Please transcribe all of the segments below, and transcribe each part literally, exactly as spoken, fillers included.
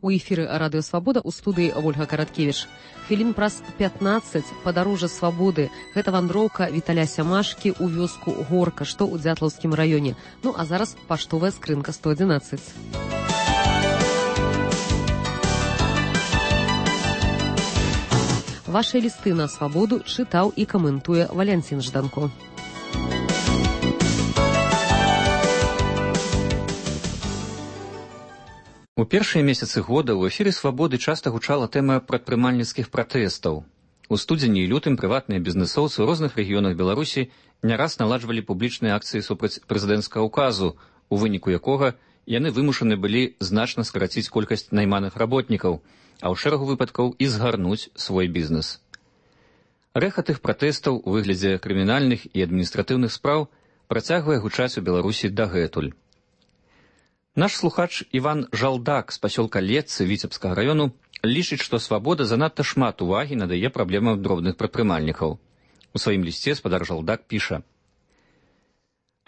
У эфіры радыё Свабода, у студыі Ольга Караткевіч. Хвілін праз пятнаццаць падарожжа свабоды. Гэта вандроўка Віталя Сямашкі ў вёску Горка, што ў Дзятлаўскім раёне. Ну а зараз паштовая скрынка сто адзінаццаць. Вашыя лісты на свабоду чытаў і каментуе Валянцін Жданко. У першыя месяцы года ў эфіры «Свабоды» часта гучала тэма прадпрымальніцкіх пратэстаў. У студзені і лютым прыватныя бізнэсоўцы ў розных рэгіёнах Беларусі не раз наладжвалі публічныя акцыі супраць прэзідэнцкага ўказу, у выніку якога яны вымушаны былі значна скараціць колькасць найманых работнікаў, а ў шэрагу выпадкаў і згарнуць свой бізнес. Рэхат іх пратэстаў у выглядзе крымінальных і адміністратыўных спраў працягвае гучаць у Беларусі дагэтуль. Наш слухач Іван Жалдак з пасёлка Летцы Віцебскага раёну лічыць, што свабода занадта шмат увагі надае праблемам дробных прадпрымальнікаў. У сваім лісце спадар Жалдак піша: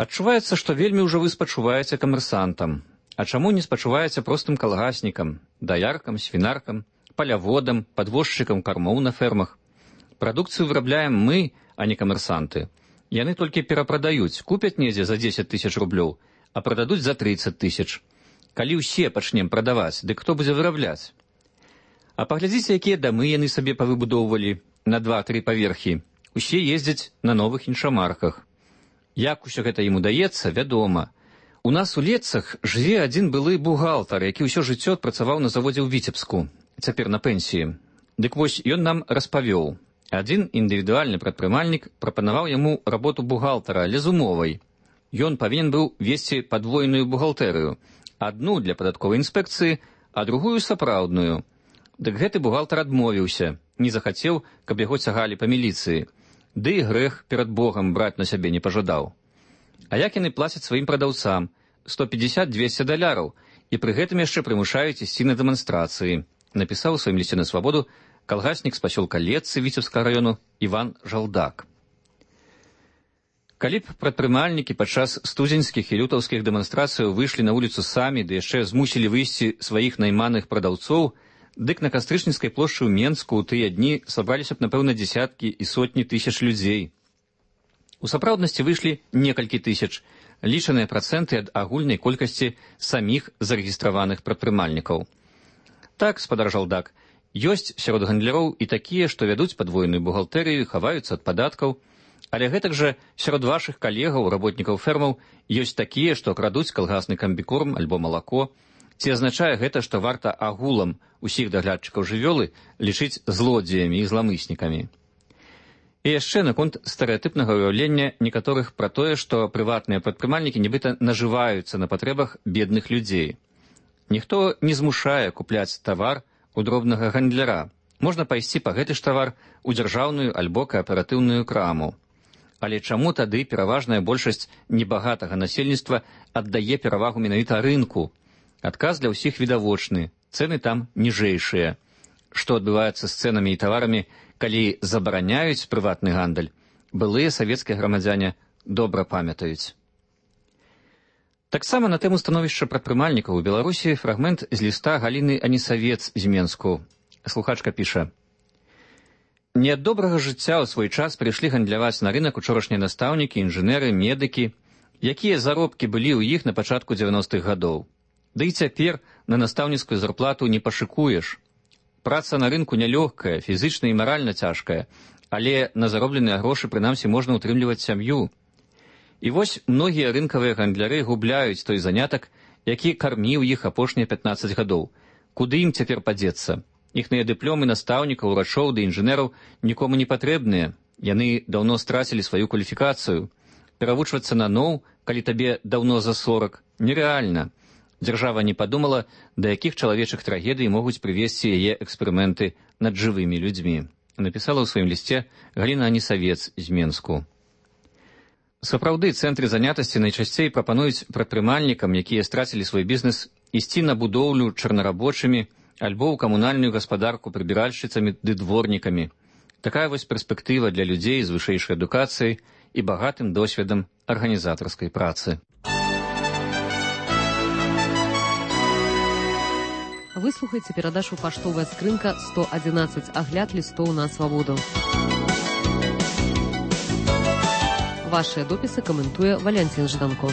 «Адчуваецца, што вельмі ўжо вы спачуваеце камерсантам. А чаму не спачуваеце простым калгаснікам, даяркам, свінаркам, паляводам, падвозчыкам кармоў на фермах? Прадукцыю вырабляем мы, а не камерсанты. Яны толькі перапрадаюць, купяць недзе за дзесяць тысяч рублёў, а прададуць за трыццаць тысяч. Калі ўсе пачнем прадаваць, дык хто будзе вырабляць? А паглядзіце, якія дамы яны сабе павыбудоўвалі на два-тры паверхі. Усе ездзяць на новых іншамарках. Як усё гэта ім удаецца, вядома. У нас у Летцах жыве адзін былы бухгалтар, які ўсё жыццё адпрацаваў на заводзе ў Віцебску, цяпер на пенсіі. Дык вось ён нам распавёў. Адзін індывідуальны прадпрымальнік прапанаваў яму работу бухгалтара, але з умовай. Ён павінен быў весці падвойную бухгалтэрыю, адну для падатковай інспекцыі, а другую сапраўдную. Дык гэты бухгалтар адмовіўся, не захацеў, каб яго цягалі па міліцыі. Ды і грэх перад Богам браць на сябе не пажадаў. А як яны плацяць сваім прадаўцам? сто пятьдесят - двести даляраў, і пры гэтым яшчэ прымушаюць ісці на дэманстрацыі, напісаў у сваім лісце на свабоду калгаснік з пасёлка Летцы Віцебскага раёну Іван Жалдак. Калі б прадпрымальнікі падчас студзеньскіх і лютаўскіх дэманстрацыяў выйшлі на вуліцу самі, ды яшчэ змусілі выйсці сваіх найманых прадаўцоў, дык на Кастрычніцкай плошчы ў Менску ў тыя дні сабраліся б, напэўна, дзесяткі і сотні тысяч людзей. У сапраўднасці выйшлі некалькі тысяч, лічаныя працэнты ад агульнай колькасці саміх зарэгістраваных прадпрымальнікаў. Так, спадар Жалдак, ёсць сярод гандляроў і такія, што вядуць падвойную бухгалтэрыю, хаваюцца ад падаткаў, але гэтак жа сярод вашых калегаў, работнікаў фермаў, ёсць такія, што крадуць калгасны камбікорм альбо малако. Ці азначае гэта, што варта агулам усіх даглядчыкаў жывёлы лічыць злодзеямі і зламыснікамі? І яшчэ наконт стэрэатыпнага ўяўлення некаторых пра тое, што прыватныя прадпрымальнікі нібыта нажываюцца на патрэбах бедных людзей. Ніхто не змушае купляць тавар у дробнага гандляра. Можна пайсці па гэты ж тавар у дзяржаўную альбо кааператыўную краму. Але чаму тады пераважная большасць небагатага насельніцтва аддае перавагу менавіта рынку? Адказ для ўсіх відавочны, цэны там ніжэйшыя. Што адбываецца з цэнамі і таварамі, калі забараняюць прыватны гандаль, былыя савецкія грамадзяне добра памятаюць. Таксама на тэму становішча прадпрымальнікаў у Беларусі фрагмент з ліста Галіны Анісавец з Менску. Слухачка піша: «Не ад добрага жыцця ў свой час прыйшлі гандляваць на рынак учорашнія настаўнікі, інжынеры, медыкі, якія заробкі былі ў іх на пачатку дзевяностых гадоў. Ды і цяпер на настаўніцкую зарплату не пашыкуеш. Праца на рынку нялёгкая, фізычна і маральна цяжкая, але на заробленыя грошы прынамсі можна ўтрымліваць сям'ю. І вось многія рынкавыя гандляры губляюць той занятак, які карміў іх апошнія пятнаццаць гадоў. Куды ім цяпер падзецца? Іхныя дыпломы настаўнікаў, урачоў ды інжынераў нікому не патрэбныя. Яны даўно страцілі сваю кваліфікацыю. Перавучвацца наноў, калі табе даўно за сорак, нерэальна. Дзяржава не падумала, да якіх чалавечых трагедый могуць прывесці яе эксперыменты над жывымі людзьмі. Напісала ў сваім лісце Галіна Анісавец з Менску. Сапраўды, цэнтры занятасці найчасцей прапануюць прадпрымальнікам, якія страцілі свой бізнес, ісці на будоўлю чарнарабочымі альбо ў камунальную гаспадарку прыбіральшчыцамі ды дворнікамі. Такая вось перспектыва для людзей з вышэйшай адукацыяй і багатым досведам арганізатарскай працы. Выслухайце перадачу «Паштовая скрынка сто одиннадцать. Агляд лістоў на свабоду». Вашыя допісы каментуе Валянцін Жданко.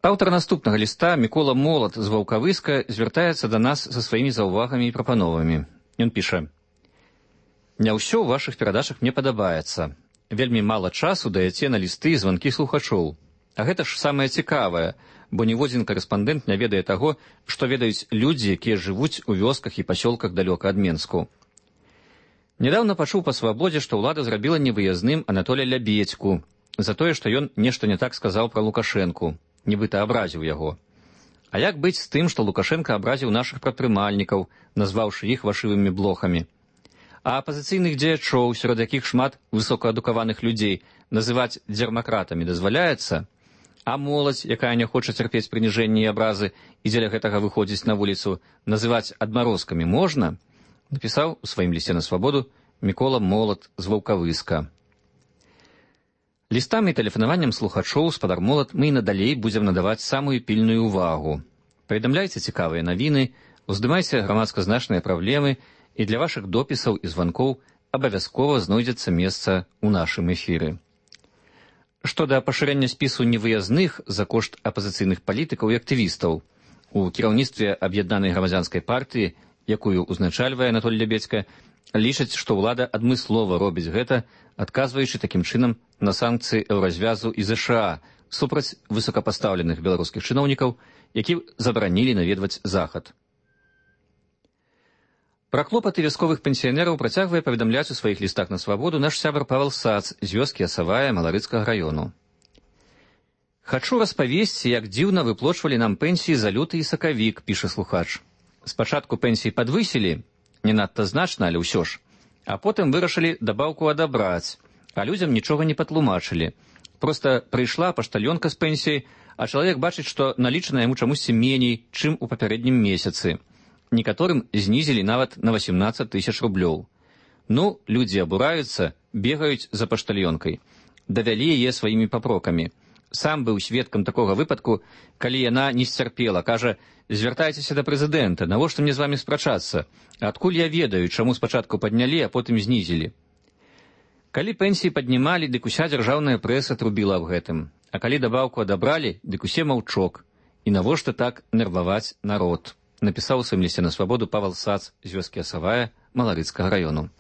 Аўтар наступнага ліста, Мікола Молат з Ваўкавыска, звяртаецца да нас са сваімі заўвагамі і прапановамі. Ён піша: «Не ўсё ў вашых перадачах мне падабаецца. Вельмі мала часу даяце на лісты і званкі слухачоў. А гэта ж самае цікавае, бо ніводзін карэспандэнт не ведае таго, што ведаюць людзі, якія жывуць у вёсках і пасёлках далёка ад Менску. Нядаўна пачуў па свабодзе, што ўлада зрабіла невыязным Анатолія Лябедзьку за тое, што ён нешта не так сказаў пра Лукашэнку, нібыта абразіў яго. А як быць з тым, што Лукашенка абразіў нашых прадпрымальнікаў, назваўшы іх вашывымі блохамі? А апазіцыйных дзеячоў, сярод якіх шмат высокаадукаваных людзей, называць дзярмакратамі дазваляецца? А моладзь, якая не хоча цярпець прыніжэнні і абразы і дзеля гэтага выходзіць на вуліцу, называць адмарозкамі можна? Напісаў у сваім лісце на свабоду Мікола Молат з Ваўкавыска. Лістам і тэлефанаваннем слухачоў спадар Молат мы і надалей будзем надаваць самую пільную ўвагу. Паведамляйце цікавыя навіны, уздымайце грамадска значныя праблемы, і для вашых допісаў і званкоў абавязкова знойдзецца месца ў нашым эфіры. Што да пашырэння спісу невыязных за кошт апазіцыйных палітыкаў і актывістаў, у кіраўніцтве аб'яднанай грамадзянскай партыі, якую узначальвае Анатолій Лябедзька, лічаць, што ўлада адмыслова робіць гэта, адказваючы такім чынам на санкцыі еўразвязу і ЗША супраць высокапастаўленых беларускіх чыноўнікаў, які забаранілі наведваць захад. Пра клопаты вясковых пенсіянераў працягвае паведамляць у сваіх лістах на свабоду наш сябар Павел Сац з вёскі Асавая Маларыцкага раёну. «Хачу распавесці, як дзіўна выплочвалі нам пенсіі за люты і сакавік», піша слухач. «Спачатку пенсіі падвысілі, не надта значна, але ўсё ж, а потым вырашылі дабаўку адабраць, а людзям нічога не патлумачылі. Проста прыйшла паштальёнка з пенсіяй, а чалавек бачыць, што налічана яму чамусьці меней, чым у папярэднім месяцы. Некаторым знізілі нават на васемнаццаць тысяч рублёў. Ну, людзі абураюцца, бегаюць за паштальёнкай. Давялі яе сваімі папрокамі. Сам быў сведкам такога выпадку, калі яна не сцярпела, кажа: «Звяртайцеся да прэзідэнта, навошта мне з вамі спрачацца? Адкуль я ведаю, чаму спачатку паднялі, а потым знізілі?» Калі пенсіі паднімалі, дык уся дзяржаўная прэса трубіла аб гэтым. А калі дабаўку адабралі, дык усе маўчок. І навошта так нерваваць народ? Напісаў у сваім лісце на свабоду Павел Сац з вёскі Асавая Маларыцкага раёну.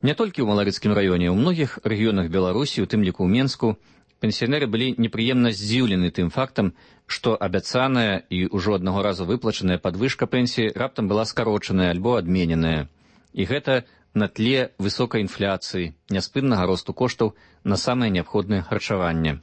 Не толькі ў Маларыцкім раёне, у многіх рэгіёнах Беларусі, у тым ліку ў Менску, пенсіянеры былі непрыемна здзіўлены тым фактам, што абяцаная і ўжо аднаго разу выплачаная падвышка пенсіі раптам была скарочаная альбо адмененая. І гэта на тле высокай інфляцыі, няспыннага росту коштаў на самае неабходнае харчаванне.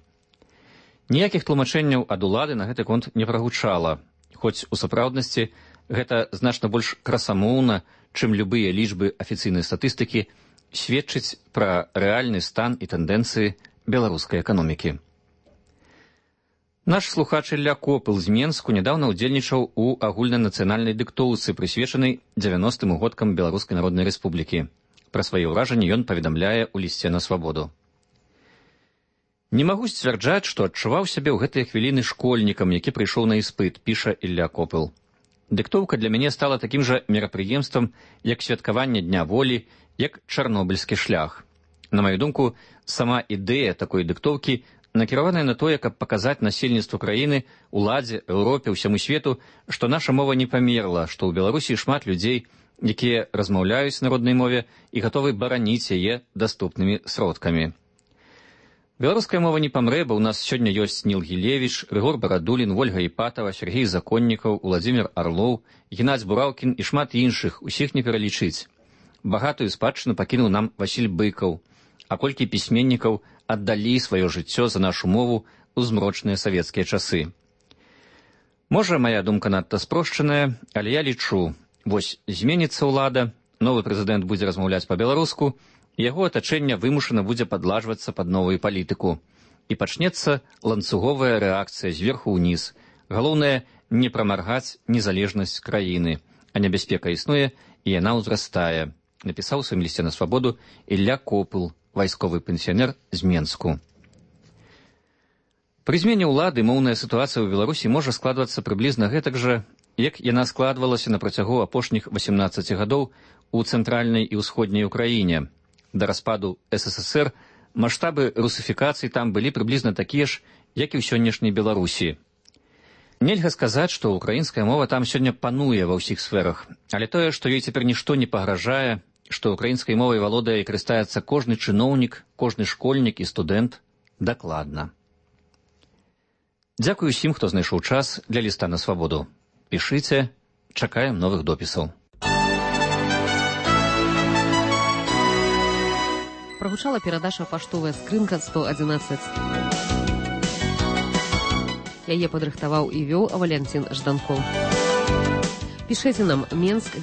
Ніякіх тлумачэнняў ад улады на гэты конт не прагучала, хоць у сапраўднасці гэта значна больш красамоўна, чым любыя лічбы афіцыйнай статыстыкі, сведчыць пра рэальны стан і тэндэнцыі беларускай эканомікі. Наш слухач Ілля Копыл з Менску нядаўна ўдзельнічаў у агульнанацыянальнай дыктоўцы, прысвечанай дзевяностым годкам Беларускай Народнай Рэспублікі. Пра свае ўражанні ён паведамляе ў лісце на свабоду. «Не магу сцвярджаць, што адчуваў сябе ў гэтыя хвіліны школьнікам, які прыйшоў на іспыт», піша Ілля Копыл. «Дыктоўка для мяне стала такім жа мерапрыемствам, як святкаванне Дня волі, як чарнобыльскі шлях. На маю думку, сама ідэя такой дыктоўкі накіраваная на тое, каб паказаць насельніцтву краіны, уладзе, Еўропе, ўсяму свету, што наша мова не памерла, што ў Беларусі шмат людзей, якія размаўляюць на роднай мове і гатовы бараніць яе даступнымі сродкамі. Беларуская мова не памрэ, бо ў нас сёння ёсць Ніл Гілевіч, Рыгор Барадулін, Вольга Іпатава, Сергей Законнікаў, Уладзімір Арлоў, Геннадзь Бураўкін і шмат іншых, усіх не пералічыць. Багатую спадчыну пакінуў нам Васіль Быкаў, а колькі пісьменнікаў аддалі сваё жыццё за нашу мову ў змрочныя савецкія часы. Можа, мая думка надта спрошчаная, але я лічу, вось зменіцца ўлада, новы прэзідэнт будзе размаўляць па-беларуску, яго атачэнне вымушана будзе падлажвацца пад новую палітыку. І пачнецца ланцуговая рэакцыя зверху ўніз. Галоўнае, не прамаргаць незалежнасць краіны, а небяспека існуе, і яна ўзрастае. Напісаў у сваім лісце на свабоду Ілля Копыл, вайсковы пенсіянер з Менску. Пры змене ўлады моўная сітуацыя ў Беларусі можа складвацца прыблізна гэтак жа, як яна складвалася на працягу апошніх васемнаццаці гадоў у цэнтральнай і ўсходняй Украіне. Да распаду эс эс эс эр маштабы русіфікацыі там былі прыблізна такія ж, як і ў сённяшняй Беларусі. Нельга сказаць, што украінская мова там сёння пануе ва ўсіх сферах, але тое, што ёй цяпер нішто не пагражае, што украінскай мовай валодае і карыстаецца кожны чыноўнік, кожны школьнік і студэнт, дакладна. Дзякую усім, хто знайшоў час для ліста на свабоду. Пішыце, чакаем новых допісаў. Прагучала перадача «Паштовая скрынка сто адзінаццаць». Яе падрыхтаваў і вёў Валянцін Жданкоў. Пішыце нам Менск